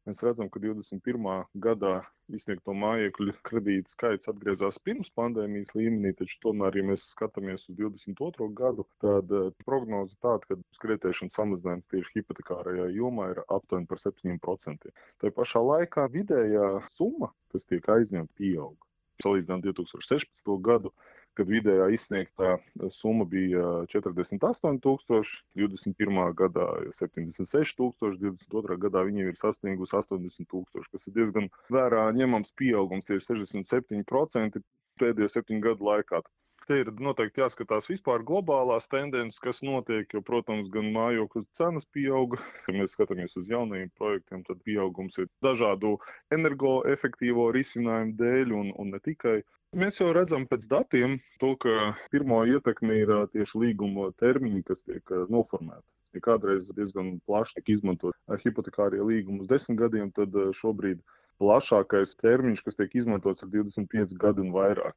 Mēs redzam, ka 21. gadā izsniegto mājokļu kredītu skaits atgriezās pirms pandēmijas līmenī, taču tomēr, ja mēs skatāmies uz 22. gadu, tad prognoze tāda, ka kreditēšanas samazinājums tieši hipotekārajā jomā ir aptuveni par 7%. Tā pašā laikā vidējā summa, kas tiek aizņemta, pieaug. Salīdzinām 2016. gadu, kad vidējā izsniegtā summa bija 48,000, 21. gadā 76,000, 22. gadā viņa ir sasniegusi 80,000, kas ir diezgan vērā ņemams pieaugums, ir 67% pēdējo 7 gadu laikā. Te ir noteikti jāskatās vispār globālās tendences, kas notiek, jo, protams, gan mājokļu cenas pieauga. Ja mēs skatāmies uz jaunajiem projektiem, tad pieaugums ir dažādu energoefektīvo risinājumu dēļ un ne tikai. Mēs jau redzam pēc datiem to, ka pirmo ietekmi ir tieši līguma termiņi, kas tiek noformēti. Ja kādreiz diezgan plaši tiek izmantot hipotekārie līgumi uz 10 gadiem, tad šobrīd plašākais termiņš, kas tiek izmantots, ir 25 gadi un vairāk.